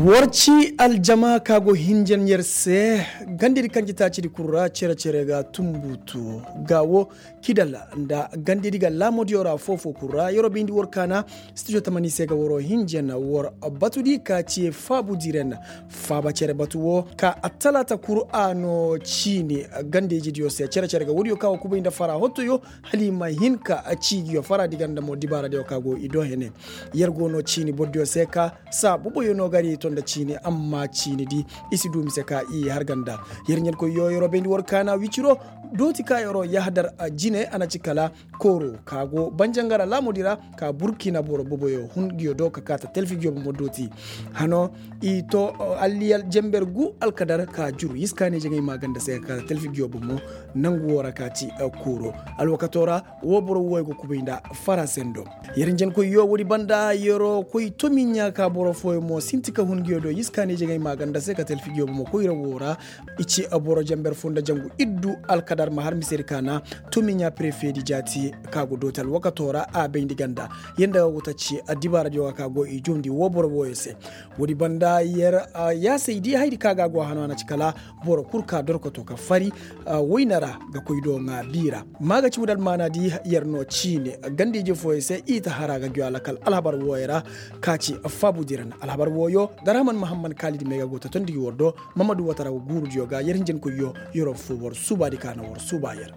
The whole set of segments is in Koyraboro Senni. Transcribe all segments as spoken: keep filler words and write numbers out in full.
War ci aljama ka go hinjan yer se. Gandedi kaŋ ci taacidi kul ra cere-cere ga tumbutu ga wo kidal nda gandedi ga laamodiyo ra foofo kul ra yeroo bayndi war kaana. Studio tamani se ga waroo hinjan war batudi ka ci faabudiren faaba cere batu wo ka attalaata kul a no ciini gandeejidiyo se cere-cere ga woodiyo ka wo kubay nda fara hottoyo hala i ma hin ka ciigiyo fara di ganda mo dibaaradiyo ka go i do hene. Yer go no ciini bordiyo se ka saa boboyo no gari to nda ciini amma ciini di i si du mise ka i har ganda. Yer ɲankoyyo yeroo bayndi war kaana wiciro dooti ka yeroo yahadar jine a na ci kala kooro ka go banjangara laamudi ra ka burkina boro boboyo hun nguyo do ka kaata talfi nguyo bomo dooti. Hano i to alliyal jember gu alkadar ka juru yiskaaney jaŋay maaganda se ka kaata talfi nguyo bomo nangu wo ra ka ci kooro alwakato ra. Wo boro wooyo go kubay nda fara sendo. Yer njenkoyyo woodi banda yeroo koy tomiɲa ka boro fooyo mo sinti ka hun nguyo do yiskaaney jaŋay maaganda se ka talfi nguyo bomo koyra woo ra. I ci boro jamber foo nda jangu iddu alkadar ma har misedi kaana. Tomiɲa prefedi jaati ka go dooti alwakato ra a bayndi ganda. Yer nda ga go ta ci addibaaradiyo ga ka go i joondi wo boro wooyo se. Woodi banda yer yaasay di haydi ka ga go a hano a na ci kala boro kul ka dorkoto ka fari wayna ra ga koy do ŋaa biira. Maa ga ci woodi almaana di yer no ciine ganda ije fooyo se i ta hara ga ngiyo alakal alhabar wooyo ra. Ka ci faabu diran alhabar wooyo darhaman mahamman kaalidi may ga go ta tondi gi war do. Mamadu watara go guurudiyo ga yer hinjankoyyo yeroo foo war suubaadi ka na war suuba yer.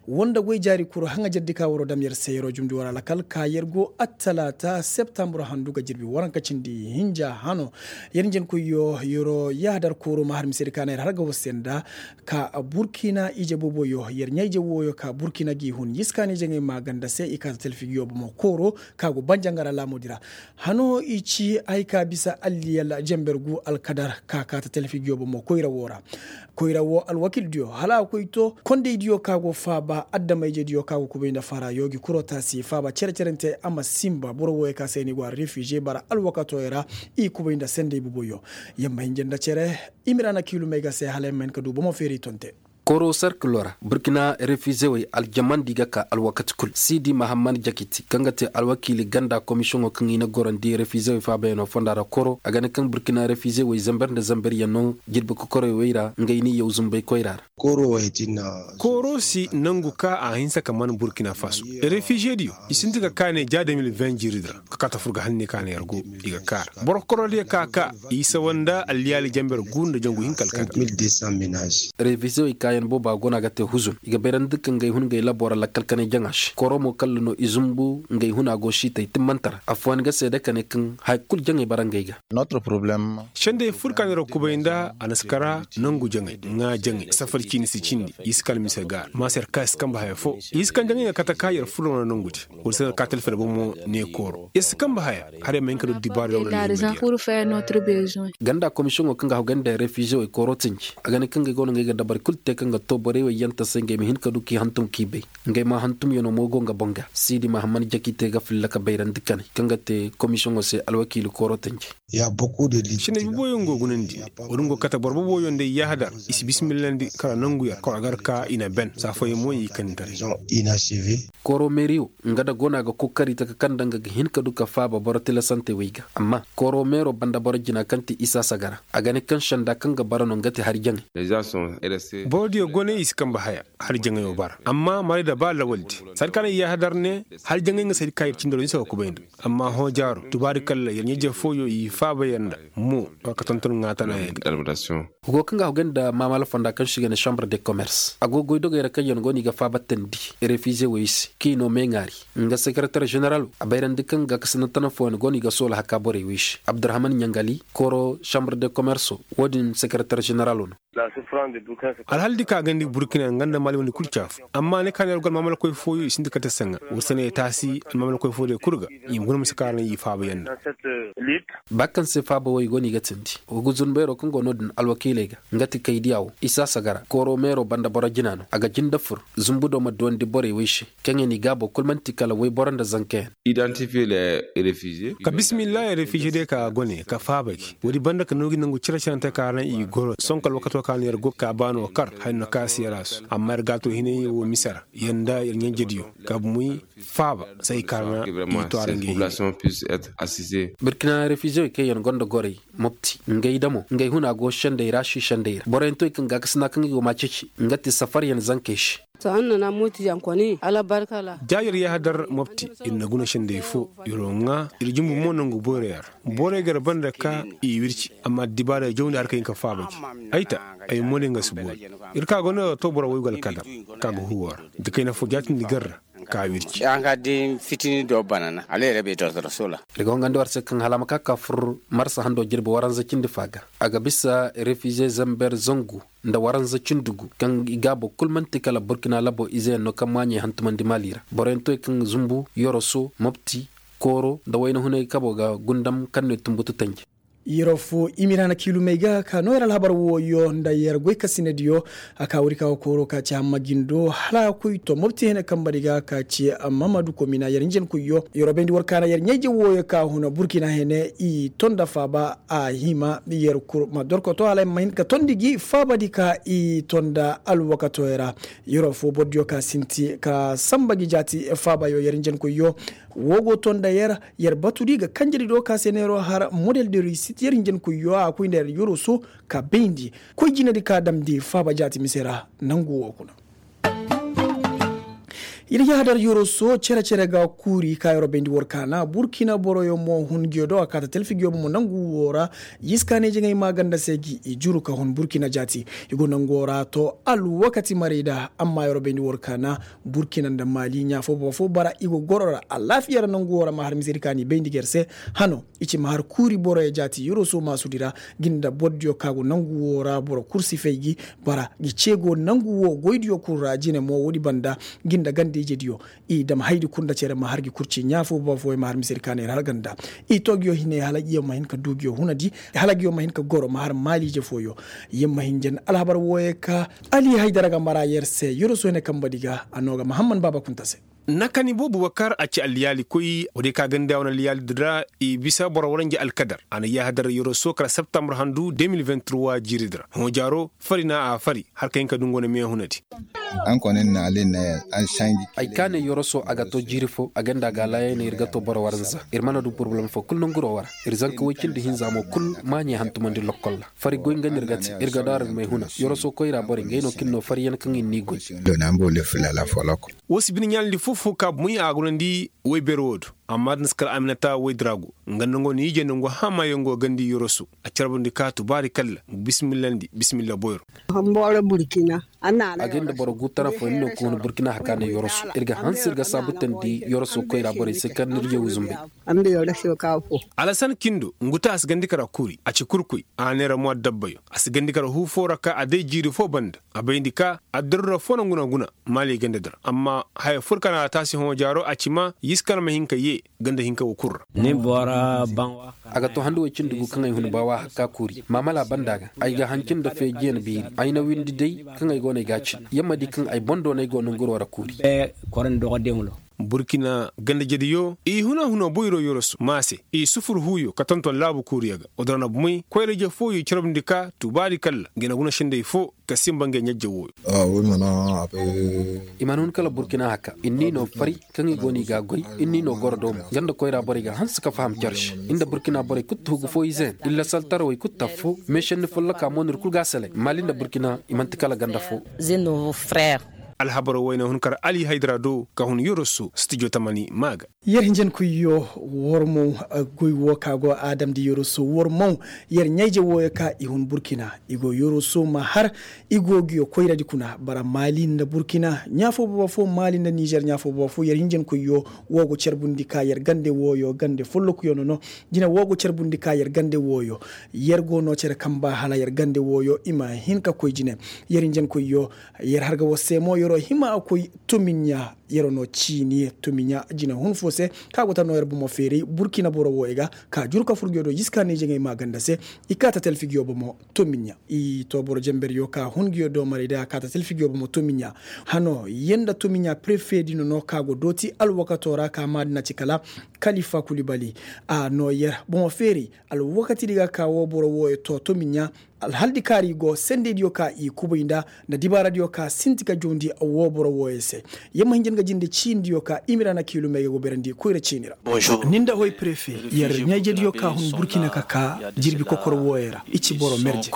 Woo nda goy jaari kuru haŋajardi ka waroo dam yer se yeroo jumndi war alakal ka yer go attalaata septambur handu ga jirbi waranka cindi hinja hano. Yer njenkoyyo yeroo yahadar kooro ma har misedi ka na yer har ga war se nda ka burkina ije boboyo yer ɲaa ije wooyo ka burkina g'i hun yiskaani jaŋay maaganda se i kaata talfi nguyo bomo kooro ka go banjangara laamudi ra. Hano i ci hay ka bisa alliyal jember gu alkadar ka kaata talfi nguyo bomo koyra woo ra. Koyra woo alwakildiyo hala a koy to kondaydiyo ka go faaba adama-ijediyo ka go kubay nda fara yoogi kuroo taasi faaba cere-cerente a ma sinba boro wooyo ka se ni go a refize bara alwakatooyo ra. I kubay nda sendey boboyo. Yer ma hinja nda cere. Imiraana kiilumey ga se hala yer ma hin ka du bomo feeray tonte. Koro serkilo ra burkina refizewey aljamandi ga ka alwakati kul siidi mahamman jakiti kaŋ ga te alwakiili ganda komisiyoŋo kaŋ i na gorandi refizewey faabayaŋo fonda ra koro a ga ne kaŋ burkina refizewey zamber nda zamberyaŋ no jirbi kokorey wey ra ngey n'i yaw zumbey koyra ra. Koro si nangu ka a hinsa ka man burkina faso refizediyo i sinti ga kaane ja de mil vingt jiiri di ra. Ka kaa ta fur ga hanne ka na yer go i ga kaara boro korodiyo ka ka i sawa nda alliyaali jamber gu nda jangu hinka alkadar. Revize wey kaayaŋ booba go no a ga te huzun i ga bayrandi ka ngey hun ngey labo ra lakkal kanay jaŋa se koro mo kalla no i zumbu ngey hun a go siitay timmante ra affooyaŋ ga seede ka ne kaŋ haya kul jaŋey bara ngey ga. Sendey fur ka neera kubay nda a na si kara nangu jaŋey ŋaa jaŋey safar ciini si cindi i si kala mise ga a ra ma se yer ka i si kambe haya fo i si kaŋ jaŋey ga kate ka yer furo no nangu di. Wala se no ka talfere bomo ne kooro yer si kambe haya. Har yer ma hin ka du dibaara yaŋ wala ne ma diya. Ganda komisiyoŋo kaŋ ga haw ganda refize wey kooro tinji a ga ne kaŋ ga go no ngey ga dabari kul te kaŋ ga to borey wey yaŋ ta se ngey ma hin ka du k'i hantum k'i bay. Ngey ma hantum yaŋo mo go nga boŋ ga siidi ma hamman jaki te ga filla ka bayrandi kanay kaŋ ga te komisiyoŋo se alwakiili kooro tinji. Sinay boboyoŋ go gunandi. Wo-din go kate boro boboyoŋ day yahadar i si bisimillandi kala nangu yer koro gar ka i na ben saa fooyaŋ mo i kanditaray. Koro meeri wo nga nda go no a ga kookari taka kaŋ nda nga ga hin ka du ka faaba boro tilasantey wey ga amma koro meero banda boro jina kaŋ ti isa sagara a ga ne kaŋ senda kaŋ ga bara no nga ti hari jaŋay. Borodiyo go ne i si kambe haya hari jaŋayo bara amma maray da ba lawaldi sanda ka no i yahadar ne hari jaŋay nga saydi ka ir cindoro ni se ga kubay nda. Amma hõ jaaro tubaari kalla yer ɲa-ije fooyo i faaba yer nda mo war ka tonton ŋaatanayaŋ ga. Go kaŋ ga a hogay nda maamala fonda kaŋ se i ga ne chambre de commerce a go goydogey ra kaŋ yaŋ go no i ga faabatandi refize wey se kaŋ i no meeŋaari nga sekereter ženeralo a bayrandi kaŋ ga kasinda tana fooyaŋ go no i ga soola haka borey wey se abdurahman ɲangali koro chambre de commerce wo-din sekereter ženeralo no. Alhaldi ka gandi burkina nga nda mali wandi kul caafu amma ne ka ne algal maamalakoy fooyo i sinda kate saŋa war se no i taasi almaamalakoy fooyo kul ga i ma guna ma si kaara no i faaba yaŋ nda. Ba kaŋ se faaba wo i go no i ga tindi wa ga zunbeero kaŋ go no-din alwakiiley ga nga ti kaydiya wo isa sagara kooro meero banda boro jina no a ga jinde fur zumbu do ma duwandi borey wey se kaŋ yaŋ i gaabo kul man'ti kala woyboro nda zankayaŋ. Ka bisimillahi refize day ka a gone ka faaba gi woodi banda ka noogi nangu cire-cirante ka ra naŋ i goro sonko alwakato. Ka no yer go ka baano kar haya no ka si yer a su amma yer gaato hinay wo mise ra yer nda yer ɲanjediyo ka bumey faaba se ay kaarana i to a ra ngey hine. Birkina refizewey kaŋ yer gonda gorey mopti ngey damo ngey huna go sendey ra si sendey ra boroyaŋ to i kaŋ gaakasina kaŋ i go ma ceeci nga ti safaryaŋ zankey se. Ja yer yahadar mopti ir na guna sendey fo ir wo ŋaa ir jumbu mo nangu boyroyaŋ ra. Borey gar banda ka i wirci amma addibaarey jawndi har ka hin ka faaba ji. Ay ta ay moone nga si boori. Ir ka go no ga to boro woy go alkadar ka ga huwa ra da kayna fo jaatindi gar ra ka wirci. Fitini do banana hala yer bay dortoro sola. Ir ga hongandi war se kaŋ hala a ma ka ka fur marsa hando jirbi waranza cindi fa ga a ga bisa refize zamber zangu nda waranza cindi gu kaŋ i gaabo kul man'ti kala burkina labo izeyaŋ no kaŋ maaɲey hantumandi mali ra boroyaŋ to i kaŋ zumbu yoroso mopti kooro nda wayna hunay kabo ga gundam kaŋ no i tumbutu tanji. Yero fo i ma ir hana kiilumey ga ka no yer alhabar wooyo nda yer goykasinadiyo. A ka wuri ka ga kooro ka ci hamma jindo hala a koy to mopti hene kambari ga ka ci mamadu komina yer hinjankoyyo yero bayndi war kaana yer ɲayje wooyo ka huna burkina hene i to nda faaba a hima yer kul ma dorkoto hala ay ma hin ka tondi gi faabadi ka i to nda alwakatoyo ra. Yero fo bordiyo ka sinti ka samba gi jaati faabayo yer hinjankoyyo. Wo go to nda yer yer batudi ga kanjedi do ka se neero har model de risit yer hinjankoyyo a koy nda yer yoroso ka bayndi koy jinedi ka damndi faaba jaati mise ra. Nangu wo kuna ir yahadar yoroso cere-cere ga kuuri ka yoro bayndi war kaana burkina boroyo mo hun ngiyo do a kaata talfi ngiyo bomo nangu wo ra. Yiskaaney jaŋay maaganda se gi i juru ka hun burkina jaati i go nango ra to alwakati marayda amma yoro bayndi war kaana burkina nda maali ɲaa fo boro fo bara i go goro ra alaafiya ra nangu wo ra ma har misedi kaani bayndi ga yer se. Hano i ci ma har kuuri boroyo jaati yoroso maasudi ra. Gi nda bordiyo ka go nangu wo ra boro kul si fay gi bara gi ceego nangu wo goydiyo kul ra jine mo woodi banda. Gi nda ganda ijediyo i dam haydi kul nda cere ma har gi kul ci ɲaa fo boro fo i ma har misedi kaani yer har ganda. I to giyo hinay hala giyo ma hin ka du giyo hunadi hala giyo ma hin ka goro ma har maaliije fooyo. Yer ma hin jan alhabar wooyo ka ali haydara ga mara yer se yoroso hine kambadi ga a no ga mahamman baaba kunta se. Nakani boobo bubakar a ci alliyaali koy woodiyo ka ganda wane alliyaali din ra i bisa boro waranja alkadar a na yaahadar yoroso kala septambar handu de mil vingt trois jiiri din ra hoojaaro fari na a fari har ka hin ka du nga wane meehunadi. Ay kaanay yoroso a ga to jiiri fo a ganda a ga a laayaynay ir ga to boro waranza ir mana du porobalem fo kul nanguroo wara. Ir zanka woy cindi hinza mo kul maaɲey hantumandi lokkol ra fari goy nga no ir ga te. Ir ga daara ir may huna yoroso koyra borey ngey no kaŋ ir no fariyaŋ kaŋ ir n'i goy. Wo si bine ɲaalandi foo-foo ka bomoy a gunandi woy beer woo do. Amma da ni si kar aminata woy dirago nga nda ngo na ije nda ngo haamayaŋ go gandi yoroso a carbundi ka tubaari kalla bismillandi bismilla boyro. A ga nda boro gu tara fo ni no ka hun burkina haka ne yoroso ir ga hanse ir ga saabutandi yoroso koyra borey se kar ni ir yawuzumbey. Alasan kindo ngu ta a si gandi kara kuuri a ci kurkuy a neera mo addabbayo a si gandi kara huu fo ra ka a day jiiri fo banda a bayndi ka addarura fo na nguna-nguna maali ganda dira amma haya fur ka na a taasi hõ jaaro a ci ma yiskan ma hin ka yee ganda hinka wo kul ra. A ga to handu way cindi gu kaŋ ay hun baawa hakka kuuri maamala banda ga ay ga hanci nda feejiyaŋ beeri ay na windi day kaŋ ay go no ay ga a cin yamma di kaŋ ay boŋ do no ay go nanguroo ra kuuri. Burkina ganda jediyo i huna-huna boyro yoroso maase i sufur huuyo ka tonton laabu kuuriyo ga. Odorana bumey koyra-ije fooyo i carbundi ka tubaari kalla gina guna sendey fo ka simba ngey ɲajje wooyo. I mana hun kala burkina haka ir n'i no fari kaŋ i go no i ga a goy ir n'i no goro do mo ganda koyra borey ga hanse ka faham care se. Ir nda burkina borey kul tuhugu fo ize yaŋ ir lasaltarawey kul taffo meesenni folloka mo no ir kul ga a selay maali nda burkina i man'ti kala ganda fo. Alhabaro wayna hun kar ali haydara do ka hun yoroso stijo tamani ma ga. Yer hinjankoyyo war mo goy wo ka go a damndi yoroso war mo yer ɲayje wooyo ka i hun burkina i go yoroso ma har i go nguyo koyradi kuna bara maali nda burkina ɲaa fo baba fo maali nda nizer ɲaa fo baba fo yer hinjankoyyo wo go carbundi ka yer gande wooyo gande follokuyo no no. Jine wo go carbundi ka yer gande wooyo yer go no cere kamba hala yer gande wooyo i ma hin ka koy jine. Yer hinjankoyyo yer har ga war se mo yeroo hima a koy tumiɲa. Yero no ciini tomiɲa jina hun fo se, ka go ta no yer bomo feeray burkina boro wo i ga ka juru ka fur nguyo do jiska ne jeŋay maaganda se. I ka ta telfi nguyo bomo tomiɲa. I to boro jember yo ka hun nguyo do maray day a ka ta telfi nguyo bomo tomiɲa. Hano yenda tomiɲa prefe dino no ka go dooti alwakato ra ka maadina ci kala kalifa kulibali. A no yer bomo feeray alwakati di ga ka wo boro wo ye to tomiɲa. Alhaldi kaari go sendediyo ka i kubay nda nda dibaaradiyo ka sinti ka joondi wo boro wooyo se. Yamma hinja nga jinde ciindiyo ka imira na kiilumey ga go berandi koyra ciini ra. Ni nda hoy prefe yer ɲayjediyo ka hun burkina ka ka jirbi kokor wooyo ra i ci boro merje.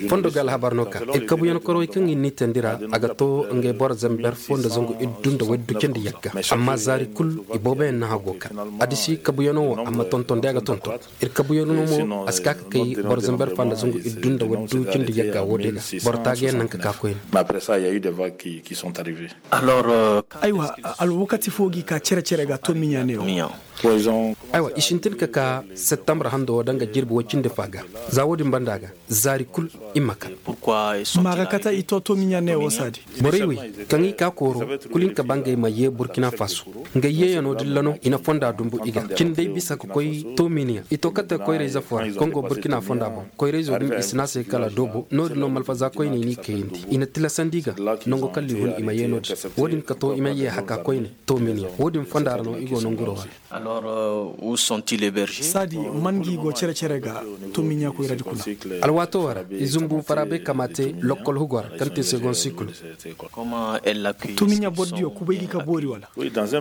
Fondo ga alhabar no ka ir kabuyan korowey kaŋ ir n'i teendi ra a ga to ngey boro zamber fo nda zangu iddu nda waddu cindi yagga. Amma zaari kul ibooboyaŋ na hago ka adisi kabuyanoo wo a ma tonton day a ga tonton. Ir kabuyanoo mo a si ka ka kay boro zamber fo nda zangu iddu nda waddu cindi yagga wo day ga boro taagayaŋ naŋ ka ka koyne. Aywa, alwakati fo g'i ka cere-cere ga to miɲa ne wo. Aywa i sintin ka ka septembre hando wo danga jirbi woy cindi fa ga. Za wo-din banda ga zaari kul i ma kar. Maaga kate i to to miɲa ne wo saadi. Borey wey kaŋ i ka kooro kul hinka ba ngey ma yee burkina faso. Ngey yeeyanoo dilla no i na fonda dumbu i ga cindey bisa ka koy to miɲa i to kate koyrayze fo ra kaŋ go burkina fonda boŋ. Koyrayzo din i si ne a se kala doobo no-din no malfaza koyney n'i kayandi i na tilasandi i ga. Nango kala i hun i ma yee no-din. Wo-din ka to i ma yee haka koyne to miɲa wo-din fonda ra no i go nanguroo ra. Saadi man ngi go cere-cere ga to miɲa koyradi kuna. Alwaatoo ra i zumbu faraabay kamaate lokkol hugo ra kaŋ te segon sikulu. To miɲa bordiyo kubay gi ka boori wala?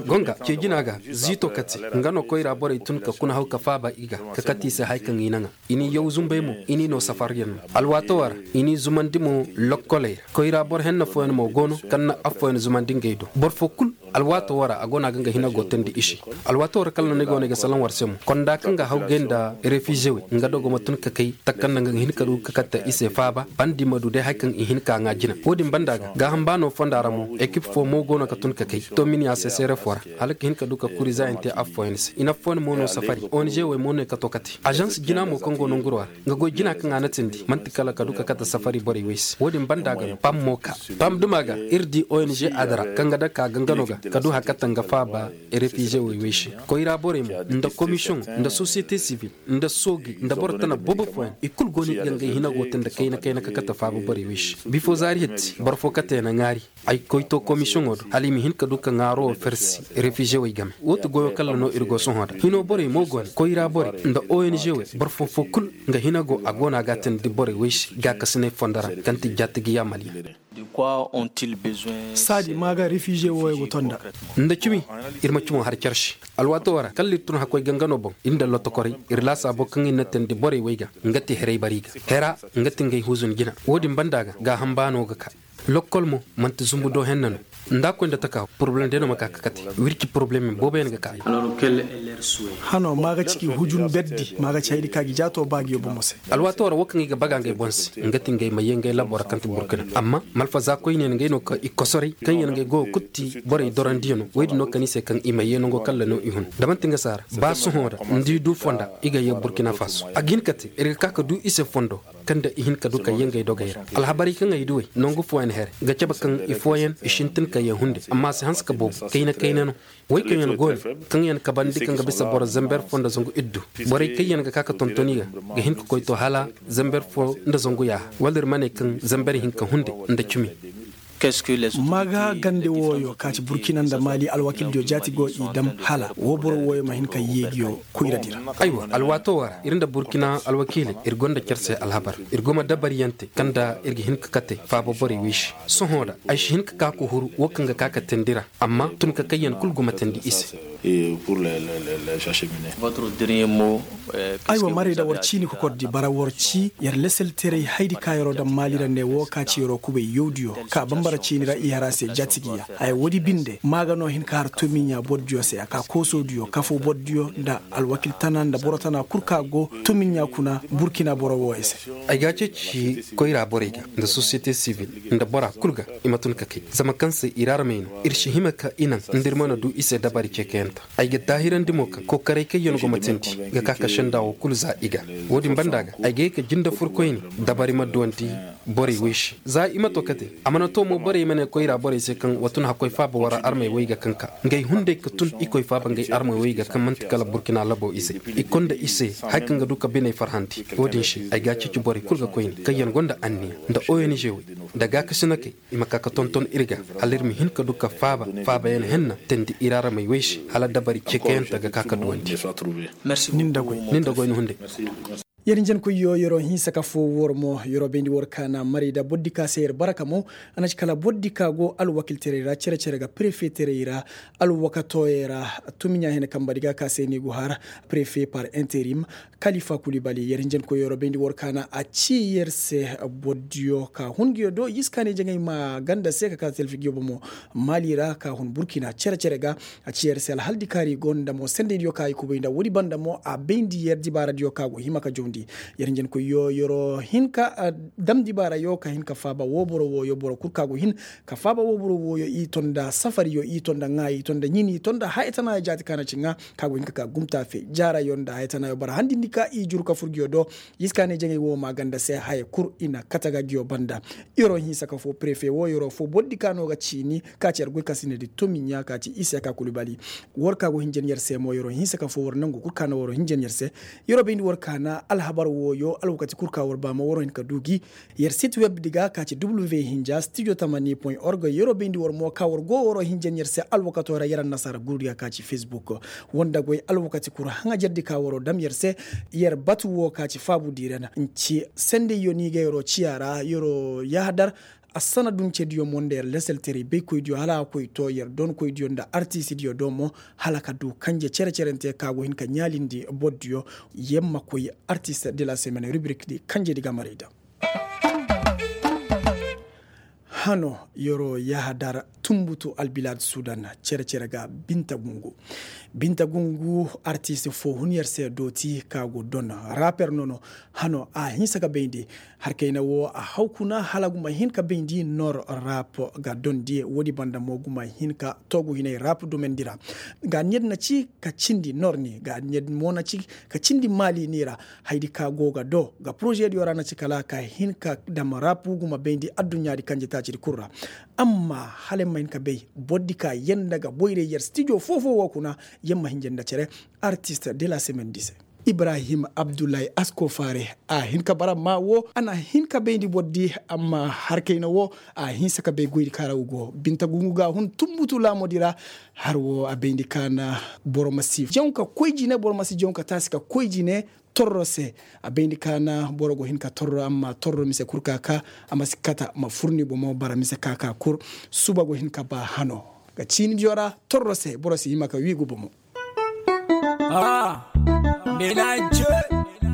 Gonga ce jina ga ziito kate nga no koyra borey tun ka kuna haw ka faaba i ga ka kate i se haya kaŋ i naŋa. I n'i yaw zumbay mo i n'i no safaryaŋ no. Alwaatoo ra i n'i zumandi mo lokkoley ra koyra boro henna fooyaŋ mo go no kaŋ na affooyaŋ zumandi ngey do boro fo kul. Alwaatoo ra a go no a ga nga hina go teendi i se. Alwaatoo ra kala no ni go no i ga salaŋ war se mo konda kaŋ ga haw gay nda refize wey nga dogo ma tun ka kay takanda nga ga hin ka du ka katta i se faaba bandi ma du day hari kaŋ i hin ka ŋaa jina wo-din banda ga gaaham baano fonda ra mo ekip fo mo go no ka tun ka kay to miniya se seere fo ra hala ka hin ka du ka kuri za yaŋ te affooyaŋ se i na affooyaŋ mo no safari ong wey mo no i ka to kate azans jina mo kaŋ go nanguroo ra. Nga goy jina kaŋ a na tindi man'ti kala ka du ka kate safari borey wey se wo-din banda ga no pam mo ka pam duma ga ir di ong adara kaŋ ga dake a ga nga no ga ka du hari kaŋ ta nga faaba. Refize wey wey se koyra borey mo nda komisiyoŋo nda sosiyete sivil nda sooji nda boro tana boobo fooyaŋ i kulu go no i ga ngey hina go te nda kayna kayna ka kate faaba borey wey se bifo zaari hitti boro fo kate na ŋaari. Ay koy to komisiyoŋo do hala i ma hin ka du ka ŋaaroo fersi refize wey game wo ti goyoo kalla no ir go sohõ da hinoo borey mo go ne koyra borey nda ong wey boro foo-foo kul nga hina go a go no a ga a teendi borey wey se gaakasinay fondo ra kaŋ ti jaatigiyaa maliya. Saadi maa ga refize wooyo go to nda nda cimi. Ir ma cimo har car se alwaatoo ra kalla ir tun hakkoy gangano boŋ ir nda lotokorey ir laasaaboo kaŋ ir na teendi borey wey ga nga ti heray bari ga hera nga ti ngey huzun jina wo-din banda ga gaaham baanoo ga ka. Lokkol mo man'ti zumbu do henna no nda a koy nda taka poroblem day no ma ka ka kate wirci poroblem booboyaŋ ga ka. Hano maa ga ci k'i hujun berdi maa ga ci haydi ka gi jaato ba gi yo bomo se. Alwaatoo ra wo kaŋ i ga baga ngey boŋ se nga ti ngey ma yee ngey labo ra kaŋ ti burkina amma malfaza koyne na ngey no ka i kosoray kaŋ yaŋ ngey go ga kutti borey dorandiyaŋo wey din no kani se kaŋ i ma yee nango kalla no i hun da man'ti nga saara ba sohõ ra nda i du fonda i ga yee burkina faso a ga hin ka te ir ga ka ka du i se fondo. Kaŋ nda i hin ka du ka yee ngey dogey ra alhabarey kaŋ ay du wey nangu fooyaŋ here ga cabe kaŋ i fooyaŋ i sintin ka yee hunde amma a si hanse ka boobo kayna kayna no. Wey kaŋ yaŋ go ne kaŋ yaŋ kabandi kaŋ ga bisa boro zamber fo nda zangu iddu borey kaŋ yaŋ ga ka ka tonton i ga ga hin ka koy to hala zamber fo nda zangu yaaha wala ir ma ne kaŋ zamber hinka hunde nda cimi. Maga gande wooyo ka ci burkina nda maali alwakildiyo jaati go i dam hala woo boro wooyo ma hin ka yeegiyo koyradi ra. Aywa alwaatoo ra ir nda burkina alwakiiley ir gonda car se alhabar ir go ma dabariyante kaŋ nda ir ga hin ka kate faaba borey wey se. Sohõ ra ay si hin ka ka ka huru woo kaŋ ga ka ka teendi ra amma tun ka kayyaŋ kul go ma teendi i se. Aywa marey da war ciini kokordi bara war ci yer leselteray haydi ka yeroo daŋ maali ra ne woo ka ci yeroo kubay yawdiyo ka bambara ciini ra i har a se jaatigiya haya woodi binde maa ga no hin ka har tomiɲa bordiyo se a ka koosoodiyo kafoo bordiyo nda alwakil tana nda boro tana kul ka go tomiɲa kuna burkina boro wooyo se. Ay ga ceeci koyra borey ga nda sosiyete sivil nda bora kul ga i ma tun ka kay zama kaŋ se ir armey no ir si hima ka i naŋ nda ir mana du i se dabari ceekayanta. Ay ga daahirandi mo kaŋ kookaray kaŋ yaŋ go ma teendi ga ka ka senda woo kulu za i ga. Woodin banda ga ay ga ye ka jinde furkoyne dabari ma duwandi. Borey woy se za i ma to kate. A mana to mo borey ma ne koyra borey se kaŋ wa tun hakkoy faaba wara armey woy ga kaŋ ka ngey hunday ka tun i koy faaba ngey armey woy ga kaŋ manti kala burkina labo ize. I konda i se haya kaŋ ga du ka biney farhandi wo-din se ay ga a ceeci borey kul ga koyne kaŋ yaŋ gonda anniya nda ong woy nda gaakasinakey i ma ka ka tonton ir ga hala ir ma hin ka du ka faaba faabayaŋ henna teendi ir aramey woy se hala dabari ceekayante ga ka ka duwandi. Nin da goy ni hunday. Yer hinjankoyyo yer'o hinsa ka foo war mo yer'o bayndi war kaana marayda bordi ka se yer baraka mo. A na ci kala bordi ka go alwakiltaray ra cere-cere ga prefetaray ra alwakatoyey ra. Tumiɲa hene kambadi ga ka se ni go har prefe par interim. Kalifa kulibali yer hinjankoyyo yer'o bayndi war kaana a ci yer se bordiyo ka hun nguyo do yiskaaney jaŋay ma ganda se ka ka telfigiyo bomo maali ra ka hun burkina cere-cere ga. A ci yer se alhal di kaari gonda mo sendeydiyo ka i kubay nda woodi banda mo a bayndi yer dibaaradiyo ka go hima ka jawndi. Yer hinjankoyyo yer'o hin ka dam dibaarayo ka hin ka faaba woo boro wooyo boro kul ka go hin ka faaba woo boro wooyo i to nda safariyo i to nda ŋaa i to nda ɲin i to nda haya tanaayo jaati ka na ci ŋaa ka go hin ka ka gumtaafe jaarayo nda haya tanaayo bara handindi ka i juru ka fur nguyo do. Yiskaaney jaŋay woo ma ganda se haya kul i na kate ga nguyo banda. Yer'o hinsa ka foo prefe woo yer'o foo bordi ka no ga ciini ka ci yer goy ka sinedi tumiɲa ka ci isa ka kulibali. War ka go hinjan yer se mo yer'o hinsa ka foo war nangu kul ka na war'o hinjan yer se. Yer'o bayndi war ka na alhabar wooyo alwakati kul ka war ba ma war'o hin ka du gi. Yer sit web di ga ka ci w hinja studio tamani point org yer'o bayndi war mo ka war go war'o hinjan yer se alwakato ra yer annasaara gurudi ga ka ci facebook. Wanda goy alwakati kul haŋajardi ka war'o dam yer se. Yer batu woo ka ci faabu diire na nci sendeyyo ni ga yer'o ciya ra yer'o yahadar. Assana duncediyo mo nda yer leselteray baykoydiyo hala a koy to yer donkoydiyo nda artisidiyo do mo hala ka du kanje cere-cerente ka go hin ka ɲaalindi bordiyo. Yer ma koy artist de la semaine rubrikdi kanjedi ga maray da. Hano yer'o yahadar tunbutu albilaad sudan cere-cere ga binta gungu. Binta gungu artist foo hun yer se dooti ka go don raper nono. Hano a hinsa ka bayndi harkayna woo a haw kuna hala guma hin ka bayndi nor rap ga dondi woodi banda mo guma hin ka toogu hinay rap domendi ra. Ga niyad na ci ka cindi nor ni ga niyad mo na ci ka cindi maali ni ra. Haydi ka go ga do ga porozediyo ra na ci kala ka hin ka dam rap guma bayndi adduɲɲaadi kanje taacidi kul ra. Amma hala ay ma hin ka bay bordi ka yanda ga boyray yer stijo foo-foo woo kuna. Yer ma hinja nda cere artist de la semaine di se. Ibrahim abdullahi askofaare a hin ka bara maa woo a na hin ka bayndi bordi. Amma harkayna woo a hinsa ka bay goydi ka ra u go binta gungu ga hun tunbutu laamodi ra. Har woo a bayndi ka na boro ma si jaŋ ka koy jine boro ma si jaŋ ka taasi ka koy jine. Torro se a bayndi ka na boro go hin ka torro amma torro mise kul ka ka a ma si kata ma fur ni bomo bara mise ka ka kul. Suba go hin ka ba hano ga ciinidiyo ra torro se boro si hima ka wii gu bomo. Ah, mélange,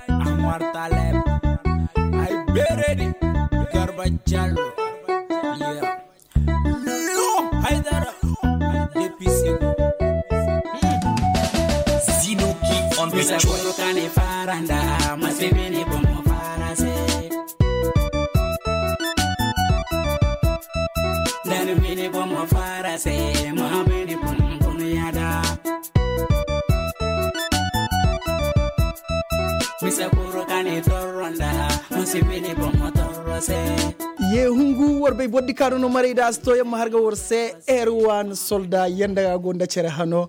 amar taleb, ay beredi, garba jallo. Lo haydara, depisi. Zinoki on the track. Kane faranda masibini bomo farase. Dani bini bomo farase ma bini bomo yada. Mise kuru kani torronda. Masibini bomo torrose. Ye hungu war bay boddi kaanu no maray da a si to yamma har ga war se. Erwan solda yanda ga gonda cere hano.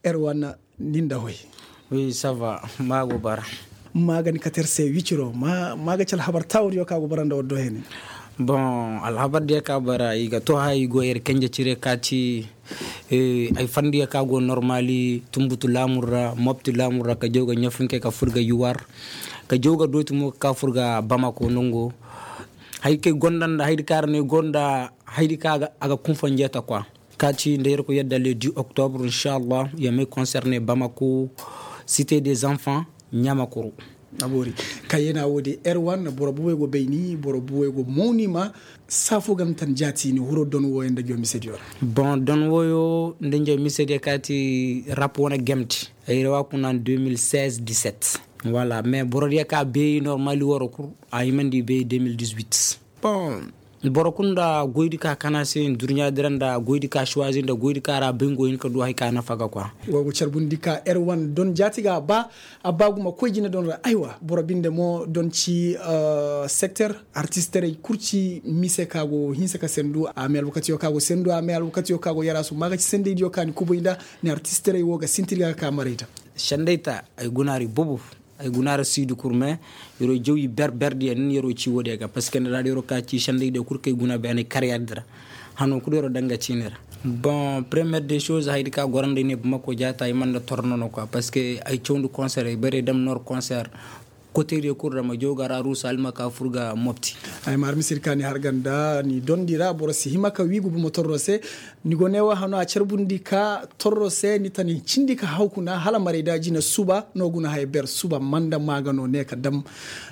Erwan, nin da hoy. Wi sava. Maago bara. Maaga ni kater se wiciro ma maaga cal habar tawuriyo ka go bara nda waddo hene. Bon, alhabar diya ka bara i ga to hay go yer kenje cire ka ci. Ay fandiya ka go normali tumbutu lamurra mopti lamurra ka jawga ɲafunke ka furga yuwar. Ka jawga doyti mo ka furga bamako nongo. Hay kay gonda nda haydi kara ne gonda haydi ka aga kunfanje ta kwa. Ka ci nda yer ko yadda le dix octobre inshallah ya may concerne bamako, cité des enfants, ɲamakuru. A boori. Ka yana wo de erwan boro buwey go bayni boro buwey go mawni ma. Saafo ga na tan jaati ni huro don woyo nda jomisediyo ra. Bon don woyo nda jomisediyo ka ti rap wane gemti. Ay ra wa kuna deux mille seize dix-sept. Wala mais borodiyo ka bay normal woro kur a himandi bay deux mille dix-huit. Bon. Boro kulu nda goydi ka kana se nduruɲaadi ra nda goydi ka suwazi nda goydi ka ra bingo hin ka du hari ka nafa ga kwa. Wa go carbundi ka erwan don jaati ga a ba a ba guma koy jina don ra aywa boro binde mo don ci sekter artisterey kulu ci mise ka go hinsa ka sendu a me alwakatiyo ka go sendu a me alwakatiyo ka go yarasu ma ga ci sendeydiyo ka ni kubuy nda ni artisterey wo ga sintir ga ka ka marayta. Sendey ta ay guna ra i bubu. Ay guna ra siidi kurme. Yer'o jaw i ber berdiyo nin yer'o ci woodiyo ga parceque nda ra da yer'o ka ci sendeydiyo kulu kay guna beenay karyardi ra. Hano kulu yer'o danga ciini ra. Bon premiyer de soze haydi ka goro nda ay ne bamako jaata ay man nda torno no kwa parceque ay cawndi konser ay bare dam nor konser. Koteriyo kulu ra ma jaw ga ra ruusa almaka fur ga mopti. Ay ma har misir ka ni har ganda ni dondi ra boro si hima ka wiigu buma torro se. Ni go ne wo hano a carbundi ka torro se ni ta ni cindi ka haw kuna hala maray da jina suba no guna haya ber suba manda maaga no ne ka dam.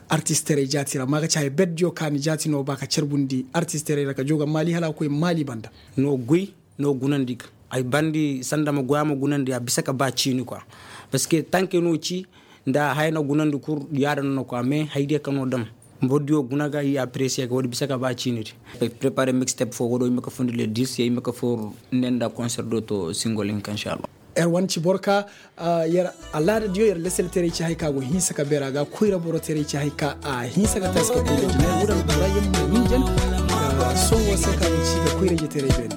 Artisterey jaati ra maaga ci haya berdiyo ka ni jaati no ba ka carbundi artisterey ra ka jaw ga maali hala a koy maali banda. No guy no gunandi ga ay bandi sanda ma goya ma gunandi a bisa ka ba ciini kwa. Parceque tanke no ci nda haya na gunandi kul yaada no na kwa mais haydiyo ka no dam. Bordiyo guna ga i apresiye ga woodi bisa ka ba ciini di. Prepare mixtep fo woodi o hima ka fundi le dis ya hima ka for ne nda konser do to singol hinka inshallah. Yer wane ci boro ka yer alaada diyo yer leselteray ci hay ka go hinsa ka beera ga koyra boro teray ci hay ka a hinsa ka taasi ka koyra jina yer wuda no bora yer ma ninjan. Sohõ wo se ka go ci ga koyra jeteray beene.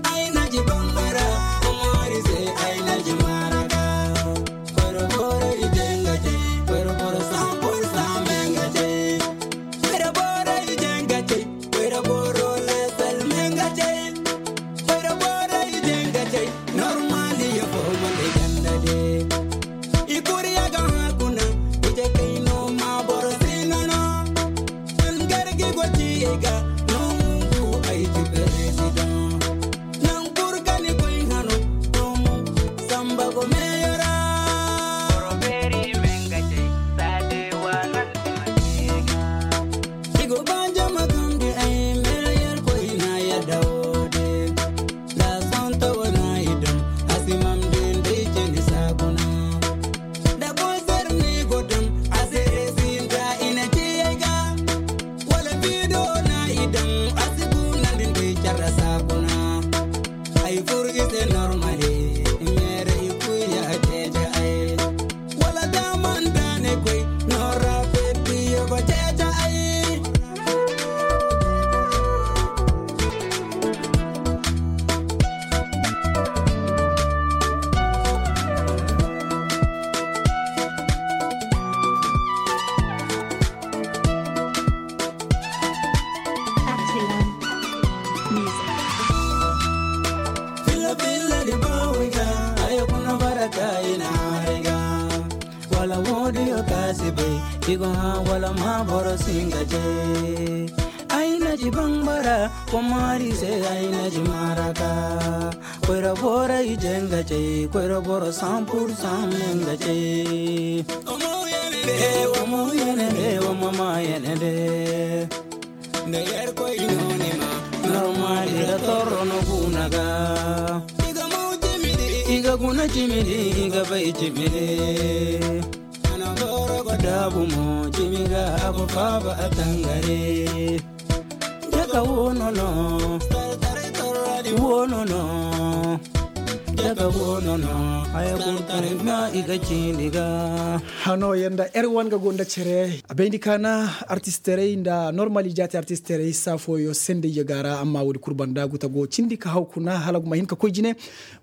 Wala woodiyo ka si bay i go hã wala ma boro si nga ce. Ay na ci bambara komaari se ay na ci maraka. Koyra bora i je nga ce koyra boro san pur san me nga ce. Omo yene de omo yene de omo ma yene de. Nda yerkoy no ni ma normal ira torro no guna ga. I ga guna cimidi i ga bay cimidi. Ana goro go daabu mo cimi ga a go faaba a tangare. Daga wono no wono no. Daga wono no haya kul kar ma i ga cindi ga. Hano yanda er wan ga gonda cere a bayndi kaana artisterey nda normal i jaati artisterey saa fooyo sendey yaga ra amma woodi kul banda guta go cindi ka haw kuna hala guma hin ka koy jine.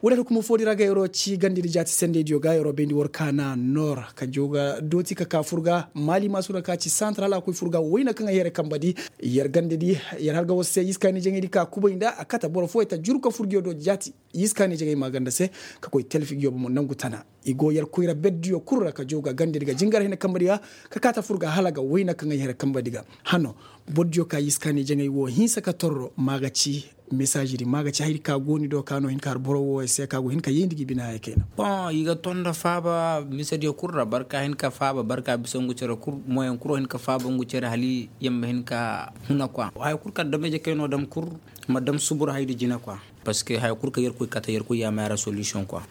Woodi hukumu foodi ra ga yer'o ci gandedi jaati sendeydiyo ga yer'o bayndi war kaana nor ka jooga dooti ka kaa fur ga maali maasuna ka ci santar hala a koy fur ga wayna kaŋ ay here kambadi. Yer gandedi yer har ga war se iskaani jaŋaydi ka kubay nda a kate boro fooyo ta juru ka fur ga yer do jaati. Iskaani jaŋay maaganda se ka koy telfi ga yobo mo nangu tana. I go yer koyra berdiyo kul ra ka jooga gandedi ga jingar hina kambadi ga ka kaa ta fur ga hala ga wayna kaŋ ay here kambadi ga. Hano bordiyo ka iskaani jaŋay wo hinsa ka torro maaga ci. Mesaazidi maaga ci hayadi ka go ni do ka no hin ka har boro wo se ka go hin ka yayndi ga i bine haya kayna. Bon i ga ton nda faaba misediyo kul ra barka hin ka faaba barka bisa ngu cere kul moyen kul wo hin ka faaba ngu cere hala yamma hin ka huna kwa haya kul kaŋ dam ije kay no dam kul. Ma dam subur hayadi jina kwa. Parceque haya kul kaŋ yerkoy kate yerkoy yaama yaŋ ra solution quoi.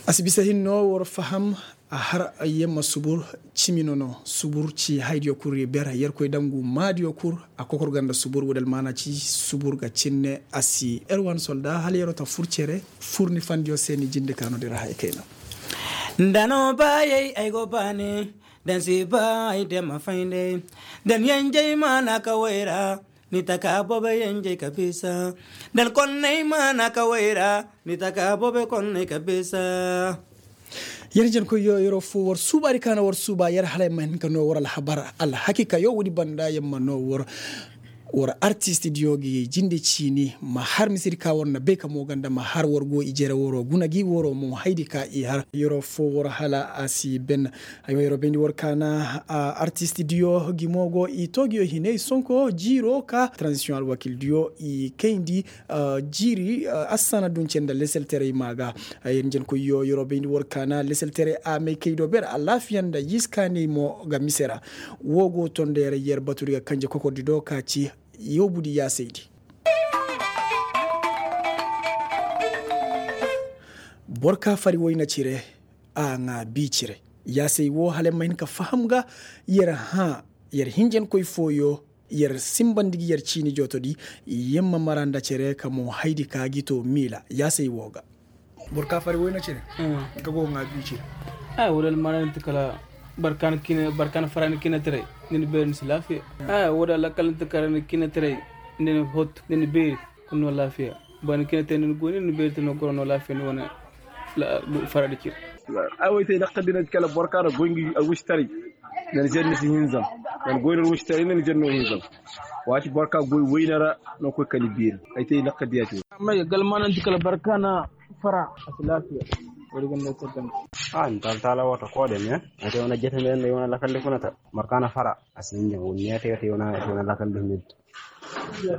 A si bisa hinno war faham. A har yamma subur cimi nono subur ci haydiyo kul ri ber yerkoy dangu maadiyo kul. A kokor ganda subur wudal maana ci subur ga cinne a si erwan solda hala yero ta fur cere fur ni fandiyo se ni jinde ka no dira hay kayna. Da no baayey ay go baani. Da ni si ba ay dema fayndey. Da ni yenjey maana ka wayra. Ni taka bobe yenjey ka bisa. Da ni konney maana ka wayra. Ni taka bobe konney ka bisa. Yer jankoyyo yeroo foo war suubaadi ka na war suuba yer hala yer ma hin ka noo war alhabar alhakiikayo woodi banda yer ma noo war. War artistidiyo gi jinde ciini ma har misedi ka war na bay ka mo ganda ma har war go ijere waroo guna gi waroo mo haydi ka i har yeroo foo war hala a si ben. Aywa yeroo bayndi war ka na artistidiyo gi mo go i toogiyo hinay sonko jiiroo ka transisiyoŋ alwakildiyo i kayndi. Jiiri assana dunce nda leselterey maa ga. Yer njenkoyyo yeroo bayndi war ka na leselterey a may kay do ber alaafiya nda yiskaaney mo ga mise ra. Woo go tondo yer yer batudi ga kanje kokordi do ka ci. Yoobudi yaasaydi. Boro ka fari wayna cire a ŋaa bii cire. Yaasay woo hala yer ma hin ka faham ga yer hãa yer hinjankoy fooyo. Yer simbandi gi yer ciini jootodi. Yer ma mara nda cere ka mo haydi ka gi too miila yaasay woo ga. Boro ka fari wayna cere. Ka go ŋaa bii cire. Ay woo da almara ni ti kala barkaana fara ni kinataray. Ni na beeri ni si laafiya. Ay woo da alakal ni ti kala ni kinataray. Ni na hot ni na beeri. Kul no laafiya. Ba ni kine te ni goy ni ni beeri te no goro no laafiya ni wane. Faradi cir. Ay way te lakkal din kala boro ka na goy ngi alwustaray. Nan zenni si hinzam. Nan goy no alwustaray nan zenno hinzam. Waati boro ka goy wayna ra. No koy kani beeri. Ay te lakkal diya ci. Amma ya galmanan di kala barka na fara a si laafiya. Wari gan no ko dan. A ni tal tala wata ko de me. Ay te wana jete me ne wana lakkal de kuna ta barka na fara. A si hinzam wani ya te wana lakkal de me.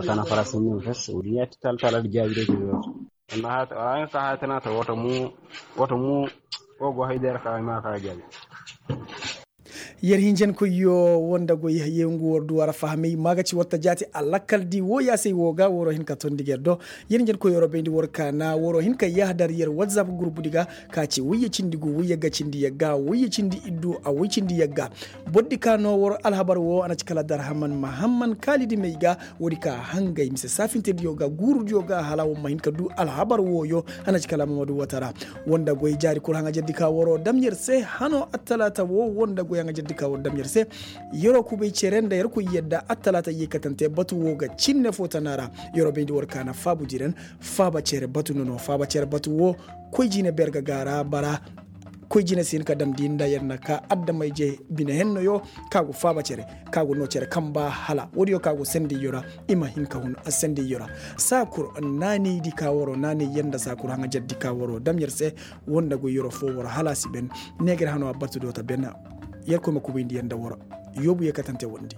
Kana fara sinnin fes wuri ya ti tal tal da jaabi da jiro. Amma hata wala ka hata na ta wata mu wata mu. Wo go hay der ka ma ka jaabi. Yer hinjen ko yo wonda go ye ngu wor du wara fahamay maga ci watta jaati alakal di wo ya sey wo ga woro hin ka tondi ger do. Yer hinjen ko yoro bayndi wor ka na woro hin ka yahdar yer whatsapp group diga ka ci wayye cindi gu wayye ga cindi yagga wayye cindi iddu a way cindi yagga. Bordi ka no war alhabar wo a na ci kala darhaman mahamman kaalidi may ga. Woodi ka hangay mise saafinteediyo ga guurudiyo ga hala war ma hin ka du alhabar wooyo. A na ci kala mamadu watara. Wanda goy jaari kul haŋajerdi ka waroo dam yer se hano attalaata wo wanda goy haŋajerdi ka waroo dam yer se. Yeroo kubay cere nda yer koy yadda attalaata yeekatante batu wo ga cinne fo tana ra. Yeroo bayndi war ka na faabu diren faaba cere batu nono faaba cere batu wo. Koy jine ber ga gaara bara. Koy jine si hin ka damndi nda yer na ka adama-ije bine hennoyo. Ka go faaba cere ka go noo cere kamba hala woodiyo ka go sendiyyo ra. I ma hin ka hun sendiyyo ra. Saakur naanaydi ka waroo naanay yer nda saakur haŋajerdi ka waroo dam yer se. Woo nda goy yeroo foo waroo hala a si ben. Neegar hanoo a batu do ta ben. Yerkoy ma kubayndi yer nda waroo. Yoobu yeekatante wondi.